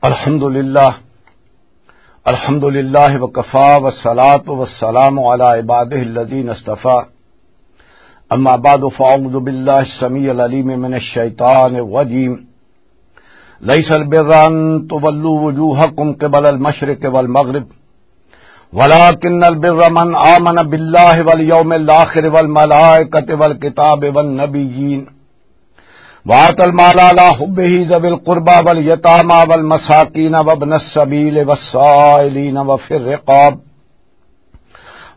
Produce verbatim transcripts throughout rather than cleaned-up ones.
الحمد لله. الحمد لله وكفى، والصلاة والسلام على عباده الذين اصطفى. أما بعد، فأعوذ بالله السميع العليم من الشيطان الرجيم. ليس البر أن تولوا وجوهكم قبل المشرق والمغرب، ولكن البر من آمن بالله واليوم الآخر والملائكة والكتاب والنبيين، وآتى المال على حبه ذوي القربى واليتامى والمساكين وابن السبيل والسائلين وفي الرقاب،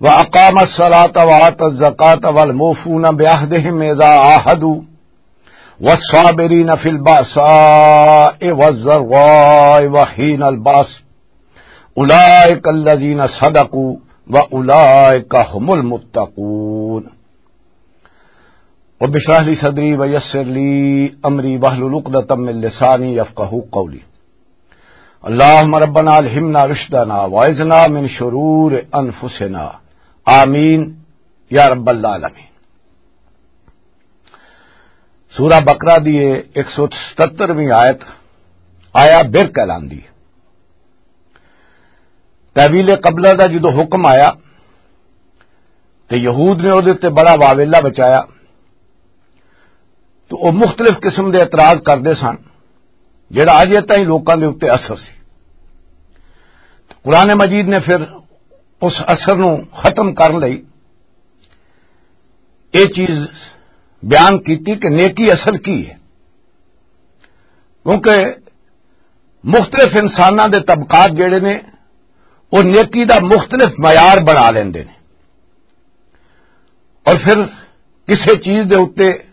وأقام الصلاة وآتى الزكاة والموفون بعهدهم إذا عاهدوا، والصابرين في البأساء والضراء وحين البأس، أولئك الذين صدقوا وأولئك هم المتقون. رب اشرح لي صدري ويسر لي أمري واحلل عقدة من لساني يفقهوا قولي. اللهم ربنا ألهمنا رشدنا وأعذنا من شرور أنفسنا. آمين يا رب العالمين. سورہ بقرہ دی ایک سو ستہترویں آیت، آیا بر کہلاندی۔ تحویل قبلہ دا جدو حکم آیا تے یہود نے اودے تے بڑا واویلا بچایا، تو وہ مختلف قسم دے اعتراض کردے سن، جڑا اجے تائیں لوکاں دے اُتے اثر سی۔ قرآن مجید نے پھر اس اثر نو ختم کرن لئی یہ چیز بیان کیتی کہ نیکی اصل کی ہے، کیونکہ مختلف انساناں دے طبقات جڑے نے، وہ نیکی دا مختلف معیار بنا لیندے نے، اور پھر کسے چیز دے اُتے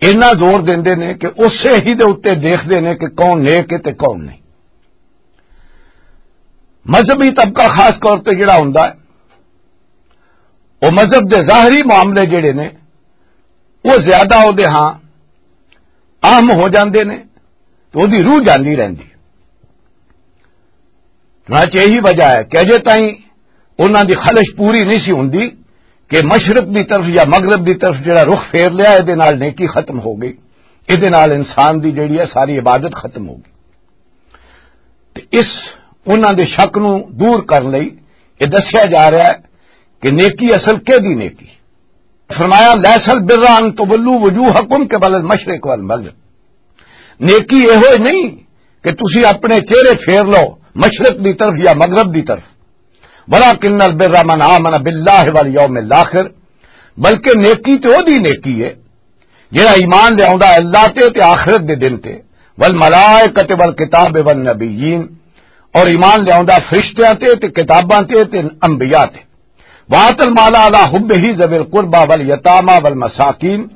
اتنا زور دیندے نے کہ اسے ہی دے اُتے دیکھدے نے کہ کون نیک ہے تے کون نہیں۔ مذہبی طبقہ خاص طور تے جڑا ہوندا ہے، وہ مذہب دے ظاہری معاملے جڑے نے، وہ زیادہ وہ دے ہاں اہم ہو جاندے نے، تو وہ دی روح جاندی رہندی۔ چنانچہ یہی وجہ ہے کہ اجے تائیں انہاں دی خواہش پوری نہیں سی ہوندی کہ مشرق دی طرف یا مغرب دی طرف جڑا رخ پھیر لیا، اے دے نال نیکی ختم ہو گئی، اے دے نال انسان دی جڑی ہے ساری عبادت ختم ہو گئی۔ تے اس انہاں دے شک نو دور کرن لئی یہ دسیا جا رہا ہے کہ نیکی اصل کہدی نیکی۔ فرمایا، "لیس البر ان تولوا وجوہکم قبل المشرق والمغرب۔" نیکی یہ ہوئے نہیں کہ تسی اپنے چہرے پھیر لو مشرق دی طرف یا مغرب دی طرف، "ولکن البر من آمن باللہ والیوم الاخر"، بلکہ نیکی تے او دی نیکی ہے جڑا ایمان لے آوندا اللہ تے تے آخرت دے دن تے، "والملائکۃ والکتاب والنبیین"، اور ایمان لے آوندا فرشتیاں تے تے کتاباں تے تے انبیاء تے۔ "وآت المال علی حبہ ذوی القربی والیتامی والمساکین"،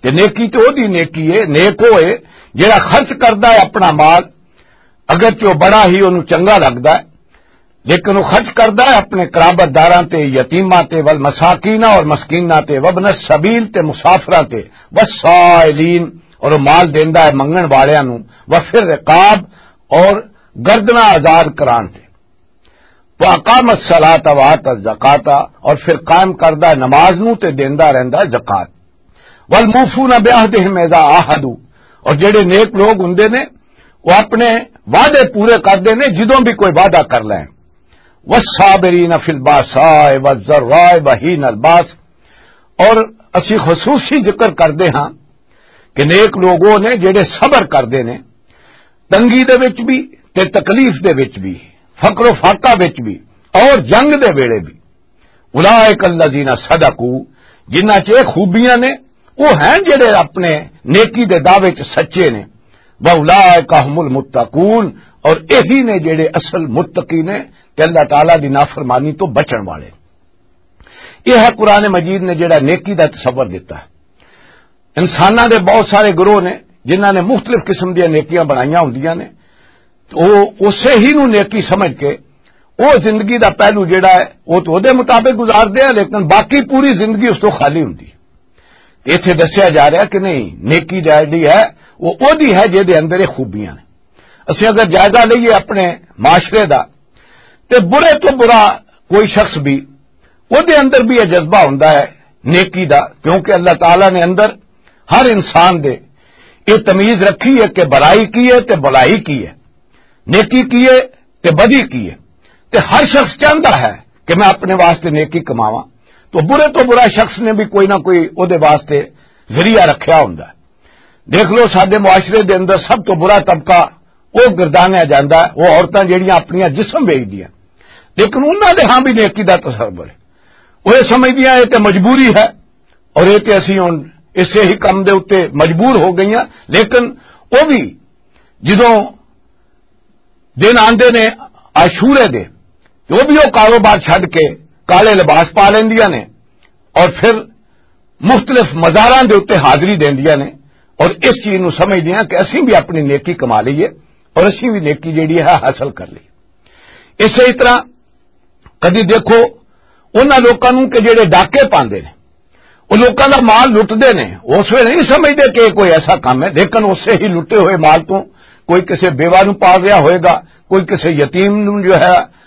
تے نیکی تے او دی نیکی ہے، نیک او ہے جڑا خرچ کردا ہے اپنا مال، اگرچہ وہ بڑا ہی انہوں چنگا لگدا ہے، لیکن وہ خرچ کردا ہے اپنے قرابت داراں تے، یتیماں تے، والمساکین اور مسکیناں تے، وابن السبیل تے مسافراں تے، والسائلین، اور وہ مال دیندا ہے منگن والیاں نوں، وفی الرقاب، اور گردناں آزاد کران تے۔ واقام الصلاۃ وآت الزکاۃ، اور پھر قائم کردا ہے نماز نوں تے دیندا رہندا ہے زکات۔ والموفون بعہدہم اذا عاہدوا، اور جڑے نیک لوگ ہوندے نے، وہ اپنے وعدے پورے کردے نے جدوں بھی کوئی وعدہ کر لیں۔ والصابرین فی الباساء والضراء وحین الباس، اور اسی خصوصی ذکر کردے ہاں کہ نیک لوگوں نے جڑے صبر کردے نے تنگی دے وچ بھی تے تکلیف دے وچ بھی، فقر و فاقہ وچ بھی اور جنگ دے ویلے بھی۔ اولئک الذین صدقوا، جنہاں چ یہ خوبیاں نے، وہ ہیں جڑے اپنے نیکی دے دعوے چ سچے نے۔ واولئک هم المتقون، اور یہی نے جڑے اصل متقی نے تے اللہ تعالیٰ دی نافرمانی تو بچن والے۔ یہ ہے قرآن مجید نے جڑا نیکی دا تصور دیتا ہے۔ انساناں دے بہت سارے گروہ نے جنہاں نے مختلف قسم دیاں نیکیاں بنائیاں ہوندیاں نے، تو وہ اسے ہی نو نیکی سمجھ کے وہ زندگی دا پہلو جڑا ہے وہ تو دے مطابق گزار دے، لیکن باقی پوری زندگی اس تو خالی ہوندی۔ تے ایتھے دسیا جا رہا کہ نہیں، نیکی جڑی ہے وہ اودی ہے جے دے اندر یہ خوبیاں نے۔ اسی اگر جائزہ لئیے اپنے معاشرے دا، تے برے تو برا کوئی شخص بھی، وہ دے اندر بھی یہ جذبہ ہوندا ہے نیکی دا، کیونکہ اللہ تعالیٰ نے اندر ہر انسان دے یہ تمیز رکھی ہے کہ برائی کی ہے تے بھلائی کی ہے۔ نیکی کی ہے تے بدی کی ہے۔ تے ہر شخص چاہندا ہے کہ میں اپنے واسطے نیکی کماواں۔ تو برے تو برا شخص نے بھی کوئی نہ کوئی او دے واسطے ذریعہ رکھیا ہوندا ہے۔ دیکھ لو، ساڈے معاشرے دے اندر سب تو برا طبقہ او گردانیا جاندا ہے، او عورتاں جڑیاں اپنیاں جسم ویچدیاں، لیکن انہاں دے ہاں بھی نیکی دا تصور ہے۔ وہ یہ سمجھدیاں یہ تے مجبوری ہے، اور یہ تے اسی ہن اسے ہی کم دے اُتے مجبور ہو گئیاں۔ لیکن وہ بھی جدوں دن آندے نے عاشورے دے، تے وہ بھی وہ کاروبار چھڈ کے کالے لباس پا لیندیاں نے اور پھر مختلف مزاراں دے اُتے حاضری دیندیاں نے اور اس چیز نو سمجھدیاں کہ اسی بھی اپنی نیکی کما لئیے اور اسی بھی نیکی جیڑی ہے حاصل کر لئیے۔ اسے طرح کدی دیکھو، انہاں لوکاں نوں کہ جڑے ڈاکے پاندے نے، او لوکاں دا مال لٹدے نے، اس ویلے نہیں سمجھدے کہ یہ کوئی ایسا کام ہے، لیکن اسے ہی لٹے ہوئے مال تو کوئی کسے بیوہ نوں پال رہا ہوئے گا، کوئی کسے یتیم نوں جو ہے،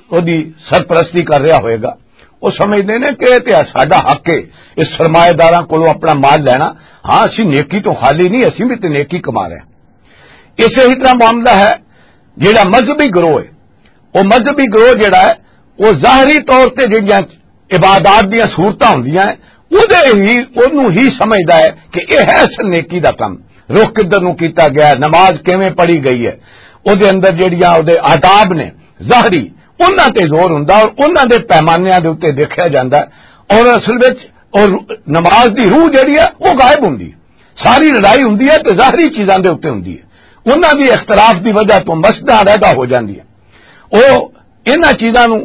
اودی سرپرستی کر رہا ہوئے گا۔ وہ سمجھدے نے کہ یہ تے ساڈا حق ہے، اس سرمایہ داراں کولوں اپنا مال لینا۔ ہاں، اسی نیکی تو خالی نہیں، اسی بھی تے نیکی کما رہے ہیں۔ اسے ہی طرح معاملہ ہے جڑا مذہبی گروہ ہے۔ وہ مذہبی گروہ جڑا ہے، وہ ظاہری طور تے جڑیاں عبادات دیاں صورتاں ہوندیاں ہیں، اودے ہی، اونوں ہی سمجھدا ہے کہ یہ ہے اصل نیکی دا کم۔ رخ کدھر نوں کیتا گیا ہے، نماز کیویں پڑھی گئی ہے، اودے اندر جڑیاں اودے آداب نے ظاہری، انہاں تے زور ہوندا اور انہاں دے پیمانیاں دے اُتے دیکھیا جاندا ہے۔ اور اصل وچ اور نماز دی روح جڑی ہے، وہ غائب ہوندی ہے۔ ساری لڑائی ہوندی ہے تے ظاہری چیزاں دے اُتے ہوندی ہے۔ انہاں دی اختلاف دی وجہ تو مسجداں علیحدہ ہو جاندی ہے۔ وہ انہاں چیزاں نوں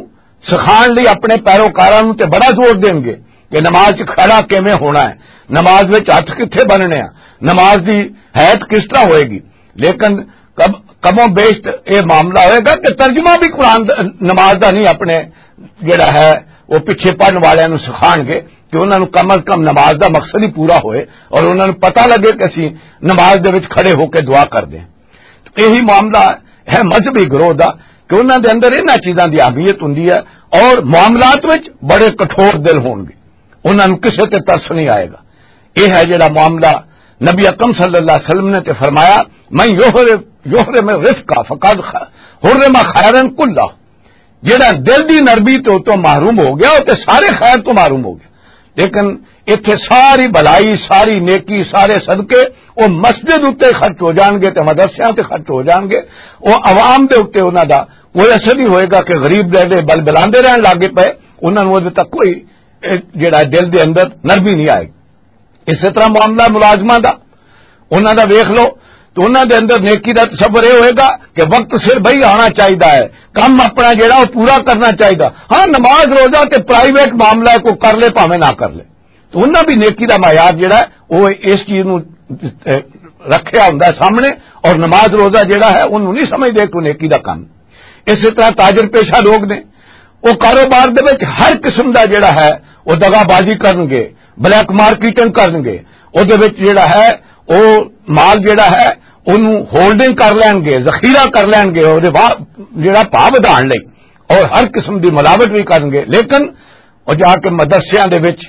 سکھان لئی اپنے پیروکاراں نوں تے بڑا زور دین گے کہ نماز چ کھڑا کیویں ہونا ہے، نماز وچ ہتھ کتھے بننے ہیں، نماز دی حیت کس طرح ہوئے گی۔ لیکن کم، کم و بیش تے یہ معاملہ ہوئے گا کہ ترجمہ بھی قرآن دا، نماز دا نہیں، اپنے جڑا ہے وہ پیچھے پڑھن والے نوں سکھان گے کہ انہاں نوں کم از کم نماز دا مقصد ہی پورا ہوئے اور انہاں نوں پتہ لگے کہ اسی نماز دے وچ کھڑے ہو کے دعا کر دیں۔ یہی معاملہ ہے مذہبی گروہ دا کہ انہاں دے اندر انہاں چیزاں دی اہمیت ہوندی ہے اور معاملات وچ بڑے کٹھور دل ہون گے، انہاں نوں کسے تے ترس نہیں آئے گا۔ یہ ہے جڑا معاملہ نبی اکرم صلی اللہ علیہ وسلم نے تے فرمایا، "من یحرم، یحرم الرفق فقد خ-، حرم خیرا کلہ۔" جڑا دل دی نرمی تو، تو محروم ہو گیا، وہ تے سارے خیر تو محروم ہو گیا۔ لیکن اتھے ساری بھلائی، ساری نیکی، سارے صدقے، وہ مسجد اُتے خرچ ہو جان گے تے مدرسیاں تے خرچ ہو جان گے۔ وہ عوام دے اُتے انہاں دا کوئی اثر نہیں ہوئے گا کہ غریب دے دے بل بلاندے رہن لاگے پے، انہاں نوں اُدے تک کوئی، اے، جڑا دل دے اندر نرمی نہیں آئے گی۔ اسی طرح معاملہ ملازماں دا، انہاں دا ویکھ لو، تو انہاں دے اندر نیکی دا تصور یہ ہوئے گا کہ وقت سر بھائی آنا چاہیدا ہے، کم اپنا جڑا وہ پورا کرنا چاہیدا۔ ہاں، نماز روزہ تے پرائیویٹ معاملہ ہے، کوئی کر لے بھاویں نہ کر لے، تو انہاں بھی نیکی دا معیار جڑا ہے، وہ اس چیز نوں، اے، رکھیا ہوندا ہے سامنے، اور نماز روزہ جڑا ہے، انہوں نہیں سمجھدے کہ نیکی دا کم۔ اسی طرح تاجر پیشہ لوگ نے، وہ کاروبار دے وچ ہر قسم دا جڑا ہے، وہ دغا بازی کرن گے، بلیک مارکیٹنگ کرن گے، وہ دے وچ جڑا ہے، وہ مال جڑا ہے، اونوں ہولڈنگ کر لین گے، ذخیرہ کر لین گے، وہ دے وا-، جڑا بھاؤ ودھان لئی، اور ہر قسم دی ملاوٹ بھی کرن گے۔ لیکن وہ جا کے مدرسیاں دے وچ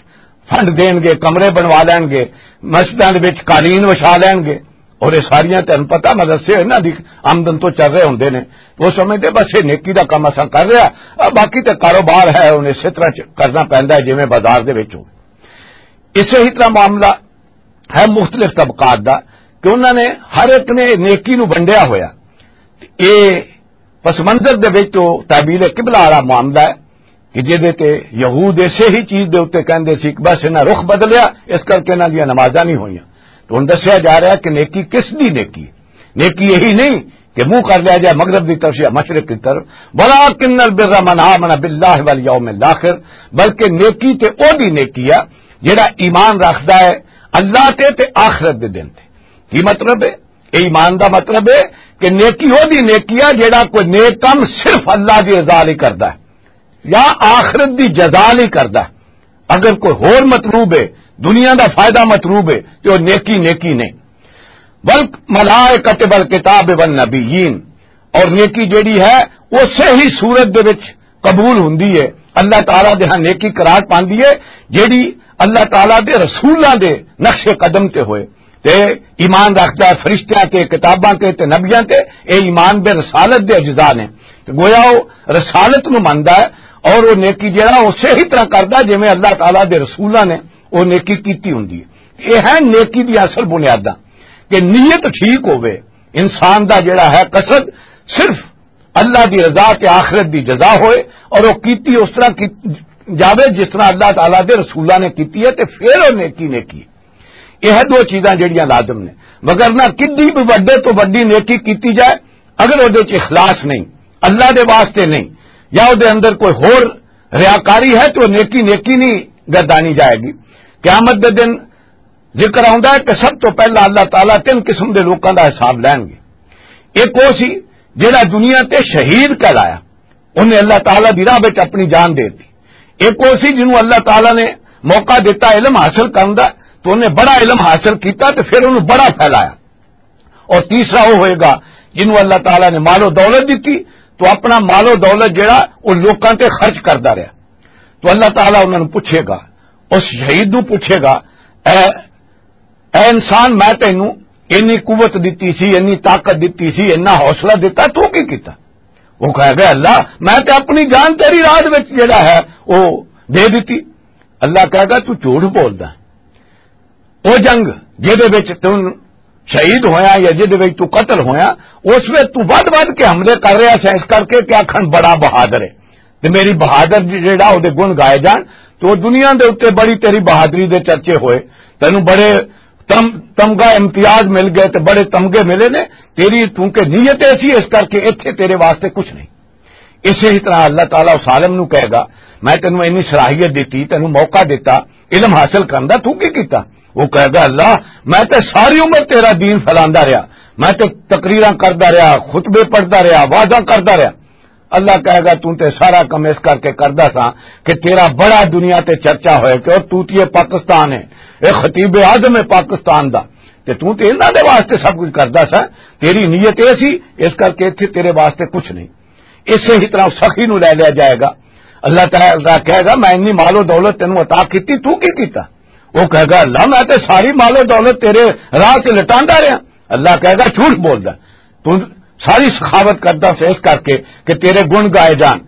فنڈ دین گے، کمرے بنوا لین گے، مسجداں دے وچ قالین وچھا لین گے۔ اور یہ ساریاں تہن پتہ مدرسے انہاں دی آمدن تو چل رہے ہوندے نے۔ وہ سمجھدے بس یہ نیکی دا کم اساں کر رہا، آ، باقی تے کاروبار ہے، انہیں اسی طرح چ-، کرنا پیندا ہے جویں بازار دے وچ ہو۔ اسے ہی طرح معاملہ ہے مختلف طبقات دا کہ انہاں نے ہر ایک نے نیکی نو ونڈیا ہویا۔ تے اے پس منظر دے وچ تو تعبیر قبلہ والا معاملہ ہے کہ جدے تے یہود اسے ہی چیز دے اُتے کہندے سی کہ بس انہاں رخ بدلیا، اس کر کے انہاں دیاں نمازاں نہیں ہوئیاں۔ تو ہن دسیا جا رہا ہے کہ نیکی کس دی نیکی؟ نیکی یہی نہیں کہ منہ کر لیا جائے مغرب دی طرف یا مشرق کی طرف، "ولکن البر من آمن باللہ والیوم الاخر"، بلکہ نیکی تے او دی نیکی ہے جڑا ایمان رکھدا ہے اللہ تے، تے آخرت دے دن تے۔ کی مطلب ہے؟ اے ایمان دا مطلب ہے کہ نیکی او دی نیکی ہے جڑا کوئی نیک کم صرف اللہ دی رضا لئی کردا ہے یا آخرت دی جزا لئی کردا ہے۔ اگر کوئی ہور مطلوب ہے، دنیا دا فائدہ مطلوب ہے، تے او نیکی نیکی نہیں۔ والملائکۃ والکتاب والنبیین، اور نیکی جیڑی ہے، اسی ہی صورت دے وچ قبول ہوندی ہے، اللہ تعالیٰ دے ہاں نیکی قرار پاندی ہے، جیڑی اللہ تعالیٰ دے رسولاں دے نقش قدم تے ہوئے۔ تے ایمان رکھدا ہے فرشتیاں تے، کتاباں تے، تے نبیاں تے، اے ایمان دے رسالت دے اجزاء نے۔ تے گویا او رسالت نو مندا ہے اور او نیکی جڑا اسی ہی طرح کردا جویں اللہ تعالیٰ دے رسولاں نے او نیکی کیتی ہوندی ہے۔ اے ہیں نیکی دی اصل بنیاداں کہ نیت ٹھیک ہووے، انسان دا جڑا ہے قصد صرف اللہ دی رضا تے آخرت دی جزا ہوئے، اور وہ کیتی اس طرح کی جاوے جس طرح اللہ تعالیٰ دے رسولاں نے کیتی ہے، تے پھر وہ نیکی نیکی ہے۔ یہ دو چیزاں جڑیاں لازم نے، مگر نہ کدی بھی وڈے تو وڈی نیکی کیتی جائے، اگر وہ دے چ اخلاص نہیں، اللہ دے واسطے نہیں، یا وہ دے اندر کوئی ہور ریاکاری ہے، تو وہ نیکی نیکی نہیں گردانی جائے گی۔ قیامت دے دن ذکر آؤندا ہے کہ سب تو پہلا اللہ تعالیٰ تین قسم دے لوکاں دا حساب لین گے۔ ایک وہ سی جڑا دنیا تے شہید کہلایا، انہیں اللہ تعالیٰ دی راہ وچ اپنی جان دے دی۔ ایک وہ سی جنہوں اللہ تعالیٰ نے موقع دیتا علم حاصل کرن دا، تو انہیں بڑا علم حاصل کیتا تے پھر انہوں بڑا پھیلایا۔ اور تیسرا وہ ہوئے گا جنہوں اللہ تعالیٰ نے مال و دولت دیتی، تو اپنا مال و دولت جڑا وہ لوکاں تے خرچ کردا رہیا۔ تو اللہ تعالیٰ انہاں نوں پوچھے گا، اس شہید نوں پوچھے گا، اے اے انسان، میں تینوں اینی قوت دتی سی، اینی طاقت دتی سی، اینا حوصلہ دتا، تو کی کیتا؟ وہ کہے گا، اللہ، میں تے اپنی جان تیری راہ دے وچ جڑا ہے، وہ دے دتی۔ اللہ کہے گا، تو جھوٹ بولدا ہے۔ وہ جنگ جہدے وچ تو شہید ہویا یا جہدے وچ تو قتل ہویا، اس وچ تو ود ود کے حملے کر رہا سا، اس کر کے کہ آکھن بڑا بہادر ہے۔ تے میری بہادر جڑا او دے گن گائے جان، تے او دنیا دے اوتے بڑی تیری بہادری دے چرچے ہوئے، تینوں بڑے تم-، تمغہ امتیاز مل گئے تے بڑے تمغے ملے نے۔ تیری چونکہ نیت ایسی، اس کر کے ایتھے تیرے واسطے کچھ نہیں۔ اسی ہی طرح اللہ تعالیٰ اس عالم نو کہے گا، میں تینوں اینی صلاحیت دتی، تینوں موقع دتا علم حاصل کرن دا، تو کی کیتا؟ وہ کہے گا، اللہ، میں تے ساری عمر تیرا دین پھیلاندا رہیا، میں تے تقریراں کردا رہیا، خطبے پڑھدا رہیا، وعظاں کردا رہیا۔ اللہ کہے گا، تو تے سارا کم اس کر کے کردا سا کہ تیرا بڑا دنیا تے چرچا ہوئے کہ اور تو تے پاکستان ہے، اے خطیب اعظم ہے پاکستان دا، تے تو تے انہاں دے واسطے سب کچھ کردا سا۔ تیری نیت اے سی، اس کر کے ایتھے تیرے واسطے کچھ نہیں۔ اسے ہی طرح سخی نو لے لیا جائے گا۔ اللہ تعالیٰ کہے گا، میں انی مال و دولت تینوں عطا کیتی، تو کی کیتا؟ وہ کہے گا، اللہ، میں تے ساری مال و دولت تیرے راہ تے لٹاندا رہیا۔ اللہ کہے گا، جھوٹ بولدا، تو ساری سخاوت کردا سے اس کر کے کہ تیرے گن گائے جان،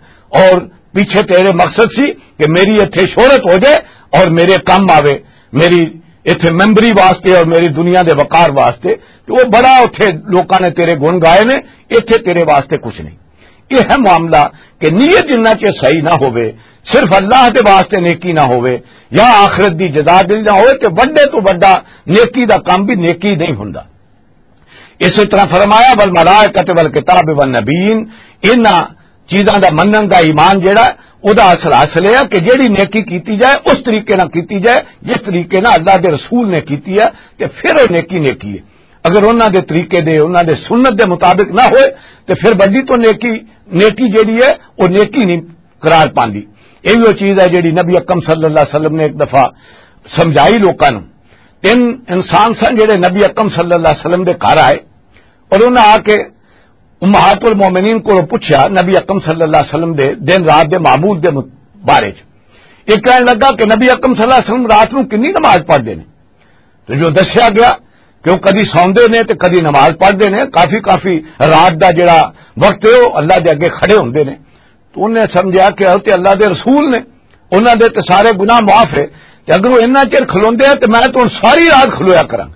اور پیچھے تیرے مقصد سی کہ میری ایتھے شہرت ہو جائے اور میرے کم آوے، میری ایتھے ممبری واسطے اور میری دنیا دے وقار واسطے۔ تو وہ بڑا اتھے لوکاں نے تیرے گن گائے نے، ایتھے تیرے واسطے کچھ نہیں۔ یہ ہے معاملہ کہ نیت جنہ چ صحیح نہ ہوئے، صرف اللہ دے واسطے نیکی نہ ہوئے، یا آخرت دی جزا دل نہ ہوئے، تے وڈے تو وڈا نیکی دا کام بھی نیکی نہیں ہوندا۔ اسی طرح فرمایا، والملائکۃ والکتاب والنبیین، انہاں چیزاں دا منن دا ایمان جڑا، او دا اصل حاصل ہے کہ جیڑی نیکی کیتی جائے، اس طریقے نال کیتی جائے جس طریقے نال اللہ دے رسول نے کیتی ہے، تے پھر او نیکی نیکی ہے۔ اگر انہاں دے طریقے دے، انہاں دے سنت دے مطابق نہ ہوئے، تے پھر بڑی تو نیکی، نیکی جیڑی ہے، او نیکی نہیں قرار پاندی۔ یہ بھی وہ چیز ہے جیڑی نبی اکرم صلی اللہ علیہ وسلم نے ایک دفعہ سمجھائی لوکاں نوں۔ تین انسان سن جڑے نبی اکرم صلی اللہ علیہ وسلم دے گھر آئے اور انہاں آ کے امہات المومنین کو پوچھا نبی اکرم صلی اللہ علیہ وسلم دے دن رات دے معمول دے مت-، بارے چ۔ یہ کہنے لگا کہ نبی اکرم صلی اللہ علیہ وسلم رات نوں کنی نماز پڑھدے نے؟ تو جو دسیا گیا کہ وہ کدی سوندے نے تے کدی نماز پڑھدے نے، کافی، کافی رات دا جڑا وقت ہے، وہ اللہ دے اگے کھڑے ہوندے نے۔ تو انہیں سمجھا کہ حضرت اللہ دے رسول نے، انہاں دے تے سارے گناہ معاف ہے، تے اگر وہ انہاں چر کھلوندے ہیں تے میں تو ہن ساری رات کھلویا کراں۔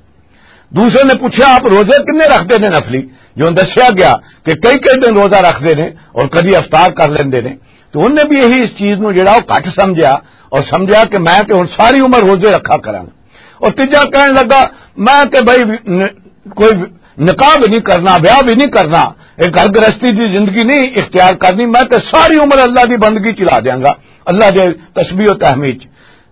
دوسرے نے پوچھا، آپ روزے کنے رکھدے نے نفلی؟ جو دسیا گیا کہ کئی کئی دن روزہ رکھدے نے اور کدی افطار کر لیندے نے۔ تو انہیں بھی یہی اس چیز نو جڑا وہ گھٹ سمجھا اور سمجھا کہ میں تے ہن ساری عمر روزے رکھا کراں۔ اور تیجا کہن لگا، میں تے بھائی ن-، کوئی نکاح بھی نہیں کرنا، بیاہ بھی نہیں کرنا، ایک گھر گرہستی دی زندگی نہیں اختیار کرنی، میں تے ساری عمر اللہ دی بندگی چلا دیاں گا، اللہ دے تسبیح و تحمید چ۔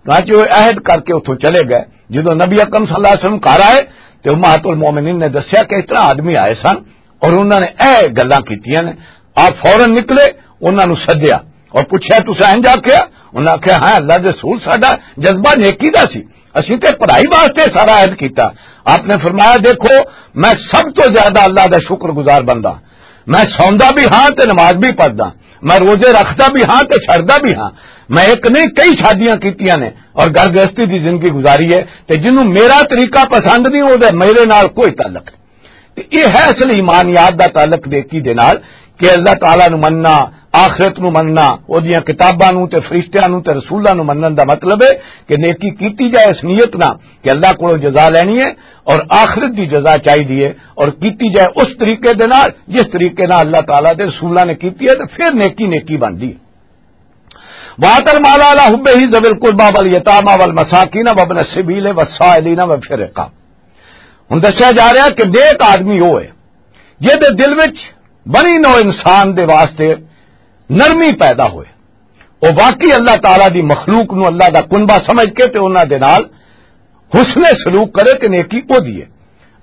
چنانچہ وہ عہد کر کے اتھوں چلے گئے۔ جدوں نبی اکرم صلی اللہ علیہ وسلم گھر آئے تے امہات المومنین نے دسیا کہ اس طرح آدمی آئے سن اور انہاں نے اے گلاں کیتیاں نے۔ آپ فوراً نکلے، انہاں نوں سدیا اور پوچھیا، "تساں انج آکھیا؟" انہاں آکھیا، "ہاں اللہ دے رسول، ساڈا جذبہ نیکی دا سی، اسی تے پڑھائی واسطے سارا عہد کیتا۔" آپ نے فرمایا، "دیکھو، میں سب تو زیادہ اللہ دا شکر گزار بندہ، میں سوندا بھی ہاں تے نماز بھی پڑھدا، میں روزے رکھدا بھی ہاں تے چھڑدا بھی ہاں۔ میں ایک نہیں، کئی شادیاں کیتیاں نے اور گھر گرہستی دی زندگی گزاری ہے، تے جنوں میرا طریقہ پسند نہیں، او دے میرے نال کوئی تعلق نہیں۔ تے یہ ہے اصل ایمانیات دا تعلق نیکی دے نال، کہ اللہ تعالیٰ نو مننا، آخرت نو مننا، او دیاں کتاباں نو تے فرشتیاں نو تے رسولاں نو منن دا مطلب ہے کہ نیکی کیتی جائے اس نیت نال کہ اللہ کولوں جزا لینی ہے اور آخرت دی جزا چاہیدی ہے، اور کیتی جائے اس طریقے دے نال جس طریقے نال اللہ تعالیٰ دے رسولاں نے کیتی ہے، تے پھر نیکی نیکی بندی ہے۔ وَآتَ الْمَالَ عَلَىٰ حُبِّهِ ذَوِي الْقُرْبَىٰ وَالْيَتَامَىٰ وَالْمَسَاكِينَ وَابْنَ السَّبِيلِ وَالسَّائِلِينَ وَفِي الرِّقَابِ۔ ہن دسیا جا رہا کہ نیک آدمی وہ ہے جہدے دل وچ بنی نوع انسان دے واسطے نرمی پیدا ہوئے، وہ واقعی اللہ تعالیٰ دی مخلوق نو اللہ دا کنبہ سمجھ کے تے انہاں دے نال حسن سلوک کرے تے نیکی او دیے،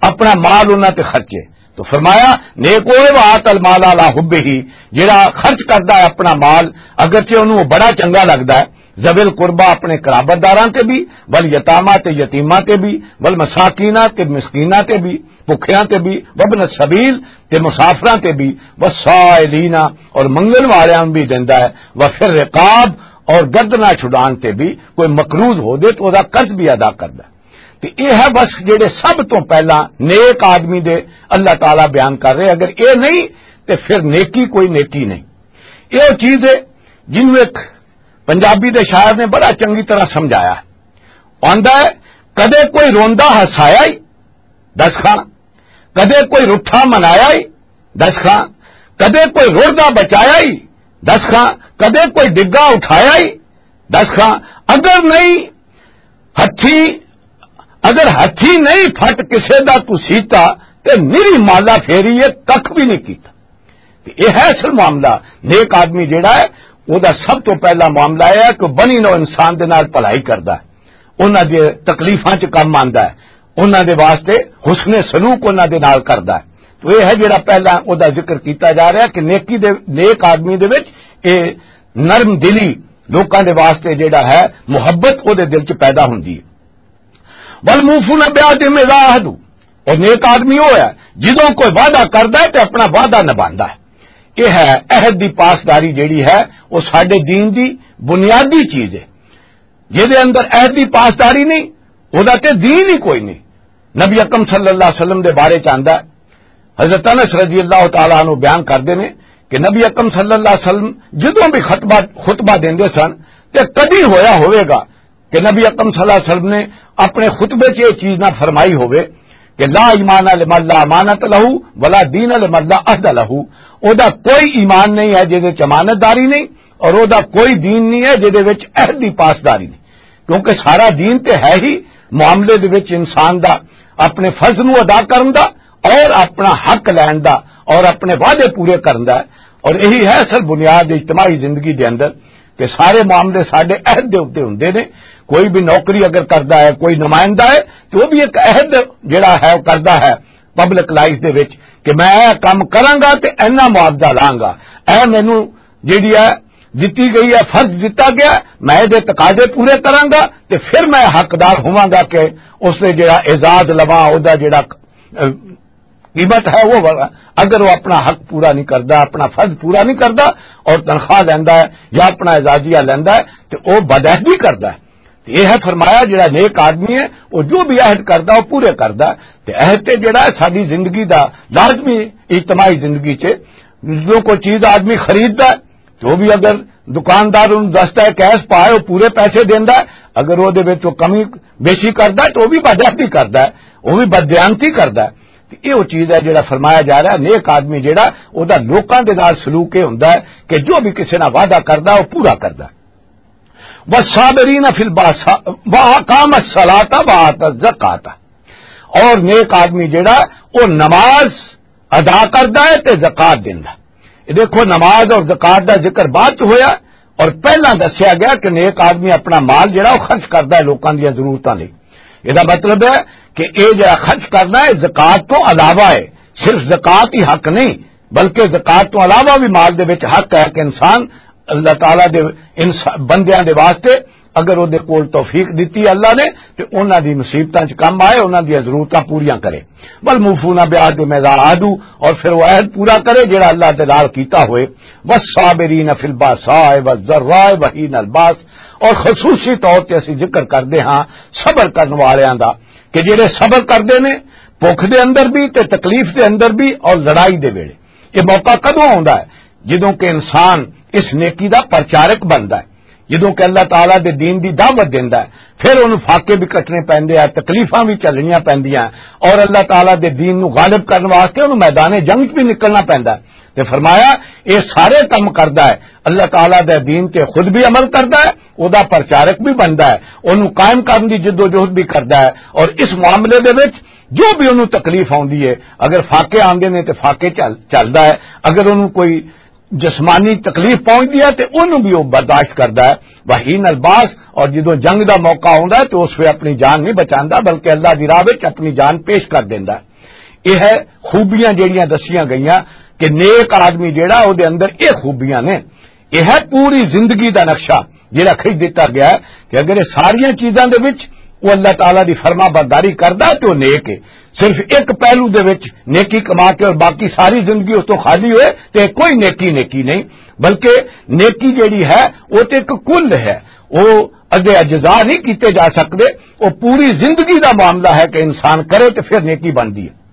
اپنا مال انہاں تے خرچے۔ تو فرمایا، نیک ہوئے وَآتَ الْمَالَ عَلَىٰ حُبِّهِ، جڑا خرچ کردا ہے اپنا مال، اگرچہ انہوں وہ بڑا چنگا لگدا ہے، ذوی القربیٰ، اپنے قرابت داراں تے بھی، والیتامیٰ، تے یتیماں تے بھی، والمساکین، تے مسکیناں تے بھی، بھکھیاں تے بھی، وابن السبیل، تے مسافراں تے بھی، والسائلین، اور منگن والیاں نوں بھی دیندا ہے، وفی الرقاب، اور گردناں چھڈان تے بھی، کوئی مقروض ہو دے تو او دا قرض بھی ادا کردا ہے۔ تے اے ہے بس جڑے سب تو پہلا نیک آدمی دے اللہ تعالیٰ بیان کر رہے، اگر اے نہیں تے پھر نیکی کوئی نیکی نہیں۔ اے او چیز ہے جنوں ایک پنجابی دے شاعر نے بڑا چنگی طرح سمجھایا ہے۔ آندا ہے، کدے کوئی روندا ہسایا ہی، دس خان، کدے کوئی رٹھا منایا ہی، دس خان، کدے کوئی رڑدا بچایا ہی، دس خان، کدے کوئی ڈگا اٹھایا ہی، دس خان، اگر نہیں ہتھی، اگر ہتھی نہیں پھٹ کسے دا تو سیتا، تے میری مالا پھیری یہ ککھ بھی نہیں کیتا۔ تے یہ ہے اصل معاملہ۔ نیک آدمی جیڑا ہے، او دا سب تو پہلا معاملہ یہ ہے کہ بنی نو انسان دے نال بھلائی کردا ہے، انہاں دے تکلیفاں چ کم آندا ہے، انہاں دے واسطے حسن سلوک انہاں دے نال کردا ہے۔ تو یہ ہے جیڑا پہلا او دا ذکر کیتا جا رہا کہ نیکی دے، نیک آدمی دے وچ اے نرم دلی، لوکاں دے واسطے جیڑا ہے محبت او دے دل چ پیدا ہوندی ہے۔ والموفون بعہدہم اذا عاہدوا، اور نیک آدمی وہ ہے جدوں کوئی وعدہ کردا ہے تے اپنا وعدہ نبھاندا ہے۔ یہ ہے عہد دی پاسداری جیڑی ہے، وہ ساڈے دین دی بنیادی چیز ہے۔ جہدے اندر عہد دی پاسداری نہیں، وہ دا تے دین ہی کوئی نہیں۔ نبی اکرم صلی اللہ علیہ وسلم دے بارے چ آندا ہے، حضرت انس رضی اللہ تعالیٰ عنہ بیان کردے نے کہ نبی اکرم صلی اللہ علیہ وسلم جدوں بھی خطبہ، خطبہ دیندے سن تے کدی ہویا ہوئے گا کہ نبی اکرم صلی اللہ علیہ وسلم نے اپنے خطبے 'چ یہ چیز نہ فرمائی ہوئے کہ لا ایمان لمن لا امانت لہ ولا دین لمن لا عہد لہ۔ او دا کوئی ایمان نہیں ہے جہدے 'چ امانت داری نہیں، اور او دا کوئی دین نہیں ہے جہدے وچ عہد دی پاسداری نہیں، کیونکہ سارا دین تے ہے ہی معاملے دے وچ انسان دا اپنے فرض نو ادا کرن دا اور اپنا حق لین دا اور اپنے وعدے پورے کرن دا ہے۔ اور یہی ہے اصل بنیاد اجتماعی زندگی دے اندر کہ سارے معاملے ساڈے عہد دے اُتے ہوندے نے۔ کوئی بھی نوکری اگر کردا ہے، کوئی نمائندہ ہے، تو وہ بھی ایک عہد جڑا ہے وہ کردا ہے پبلک لائف دے وچ کہ میں یہ کام کراں گا تے اینا معاوضہ لاں گا، اے مینوں جڑی ہے دتی گئی ہے، فرض دتا گیا، میں یہ تقاضے پورے کراں گا تے پھر میں حقدار ہوواں گا کہ اس دے جڑا اعزاز لواں، او دا جڑا، اہ، قیمت ہے وہ والا۔ اگر وہ اپنا حق پورا نہیں کردا، اپنا فرض پورا نہیں کردا اور تنخواہ لیندا ہے یا اپنا اعزازیہ لیندا ہے تے وہ بدعہدی کردا ہے۔ تے یہ ہے فرمایا جڑا نیک آدمی ہے وہ جو بھی عہد کردا وہ پورے کردا ہے۔ تے عہد تے جڑا ہے ساڈی زندگی دا لازمی اجتماعی زندگی چ جو کوئی چیز آدمی خریددا ہے تو وہ بھی اگر دکاندار انہوں دستا ہے کیش پائے وہ پورے پیسے دیندا ہے، اگر وہ دے وچ وہ کمی بیشی کردا ہے تو وہ بھی بدعہدی کردا ہے، وہ بھی بددیانتی کردا ہے۔ تے یہ وہ چیز ہے جڑا فرمایا جا رہا ہے، نیک آدمی جڑا، او دا لوکاں دے نال سلوک یہ ہوندا ہے کہ جو بھی کسے نال وعدہ کردا ہے، وہ پورا کردا ہے۔ والصابرین فی الباسا، واقام الصلاۃ وآت الزکات۔ اور نیک آدمی جڑا، وہ نماز ادا کردا ہے تے زکات دیندا ہے۔ یہ دیکھو، نماز اور زکات دا ذکر بعد چ ہویا اور پہلا دسیا گیا کہ نیک آدمی اپنا مال جڑا وہ خرچ کردا ہے لوکاں دیاں ضرورتاں لئی۔ یہ دا مطلب ہے کہ یہ جڑا خرچ کرنا ہے زکات تو علاوہ ہے، صرف زکات ہی حق نہیں بلکہ زکات تو علاوہ بھی مال دے وچ حق ہے کہ انسان اللہ تعالیٰ دے انس-، بندیاں دے واسطے اگر او دے کول توفیق دتی اللہ نے، تے انہاں دی مصیبتاں چ کم آئے، انہاں دی ضرورتاں پوریاں کرے۔ والموفون بعہدہم اذا عاہدوا، اور پھر وہ عہد پورا کرے جڑا اللہ دے نال کیتا ہوئے۔ والصابرین فی الباساء والضراء وحین الباس، اور خصوصی طور تے اسی ذکر کردے ہاں صبر کرن والیاں دا، کہ جڑے صبر کردے نے بھوک دے اندر بھی تے تکلیف دے اندر بھی اور لڑائی دے ویلے۔ یہ موقع کدوں آوندا ہے؟ جدوں کہ انسان اس نیکی دا پرچارک بندا ہے، جدوں کہ اللہ تعالیٰ دے دین دی دعوت دیندا ہے، پھر انہوں فاقے بھی کٹنے پیندے ہیں، تکلیفاں بھی چلنیاں پیندیاں ہیں، اور اللہ تعالیٰ دے دین نو غالب کرن واسطے انہوں میدان جنگ بھی نکلنا پیندا ہے۔ تے فرمایا، یہ سارے کم کردا ہے، اللہ تعالیٰ دے دین تے خود بھی عمل کردا ہے، او دا پرچارک بھی بندا ہے، انہوں قائم کرن دی جد و جہد بھی کردا ہے، اور اس معاملے دے وچ جو بھی انہوں تکلیف آندی ہے، اگر فاقے آندے نے تے فاقے چل- چلدا ہے، اگر انہوں کوئی جسمانی تکلیف پہنچدی ہے تے انہوں بھی وہ برداشت کردا ہے۔ وحین الباس، اور جدوں جنگ دا موقع آندا ہے تے اس وے اپنی جان نہیں بچاندا، بلکہ اللہ دی راہ وچ اپنی جان پیش کر دیندا ہے۔ یہ ہے خوبیاں جڑیاں دسیاں گئیاں کہ نیک آدمی جڑا، او دے اندر یہ خوبیاں نے۔ یہ ہے پوری زندگی دا نقشہ جڑا کھچ دتا گیا ہے کہ اگر یہ ساریاں چیزاں دے وچ وہ اللہ تعالیٰ دی فرما برداری کردا تے وہ نیک ہے۔ صرف ایک پہلو دے وچ نیکی کما کے اور باقی ساری زندگی اس تو خالی ہوئے تے کوئی نیکی نیکی نہیں، بلکہ نیکی جڑی ہے وہ تے ایک کل ہے، وہ ادھے اجزاء نہیں کیتے جا سکتے۔ وہ پوری زندگی دا معاملہ ہے کہ انسان کرے تے پھر نیکی بندی ہے۔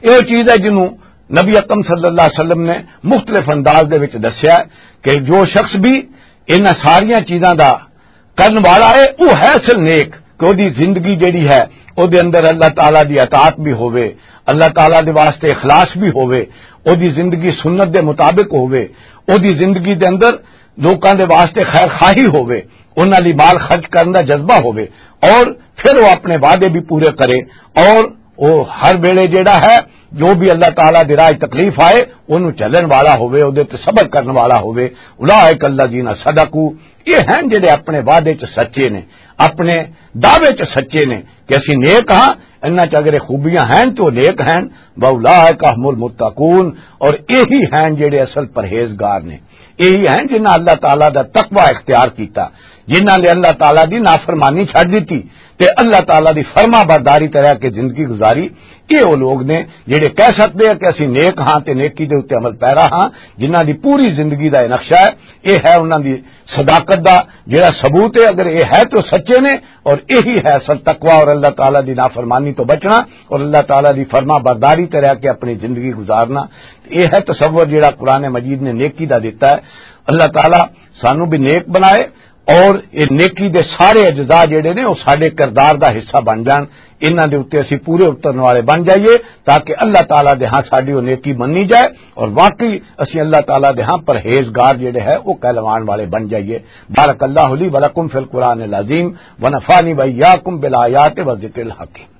یہ چیز ہے جنوں نبی اکرم صلی اللہ علیہ وسلم نے مختلف انداز دے وچ دسیا ہے کہ جو شخص بھی انہاں ساریاں چیزاں دا کرن والا ہے، وہ ہے اصل نیک، کہ وہ دی زندگی جڑی ہے، وہ دے اندر اللہ تعالیٰ دی اطاعت بھی ہووے، اللہ تعالیٰ دے واسطے اخلاص بھی ہووے، وہ دی زندگی سنت دے مطابق ہووے، وہ دی زندگی دے اندر لوکاں دے واسطے خیر خواہی ہووے، انہاں لئی مال خرچ کرن دا جذبہ ہووے، اور پھر وہ اپنے وعدے بھی پورے کرے، اور وہ ہر ویلے جڑا ہے، جو بھی اللہ تعالیٰ دی راہ تکلیف آئے، انہوں چلن والا ہووے، اودے تے صبر کرن والا ہووے۔ اولئک الذین صدقوا، یہ ہیں جڑے اپنے وعدے چ سچے نے، اپنے دعوے چ سچے نے کہ اسی نیک ہاں۔ انہاں چ اگر یہ خوبیاں ہیں تو نیک ہیں۔ واولئک هم المتقون، اور یہی ہیں جڑے اصل پرہیزگار نے۔ یہی ہیں جنہاں اللہ تعالیٰ دا تقوی اختیار کیتا، جنہاں نے اللہ تعالیٰ دی نافرمانی چھڈ دتی تے اللہ تعالیٰ دی فرما برداری تے رہ کے زندگی گزاری۔ یہ وہ لوگ نے جڑے کہہ سکتے ہیں کہ اسی نیک ہاں تے نیکی دے اُتے عمل پیرا ہاں، جنہاں دی پوری زندگی دا یہ نقشہ ہے۔ یہ ہے انہاں دی صداقت دا جڑا ثبوت ہے۔ اگر یہ ہے تو سچے نے، اور یہی ہے اصل تقوی اور اللہ تعالیٰ دی نافرمانی تو بچنا اور اللہ تعالیٰ دی فرما برداری تے رہ کے اپنی زندگی گزارنا۔ یہ ہے تصور جڑا قرآن مجید نے نیکی دا دیتا ہے۔ اللہ تعالیٰ سانو بھی نیک بنائے، اور یہ نیکی دے سارے اجزاء جڑے نے، وہ ساڈے کردار دا حصہ بن جان، انہاں دے اُتے اسی پورے اترن والے بن جائیے، تاکہ اللہ تعالیٰ دے ہاں ساڈی وہ نیکی منی جائے، اور واقعی اسی اللہ تعالیٰ دے ہاں پرہیزگار جڑے ہے، وہ کہلوان والے بن جائیے۔ بارک اللہ لی ولکم فی القرآن العظیم، ونفعنی وإیاکم بالآیات والذکر الحکیم۔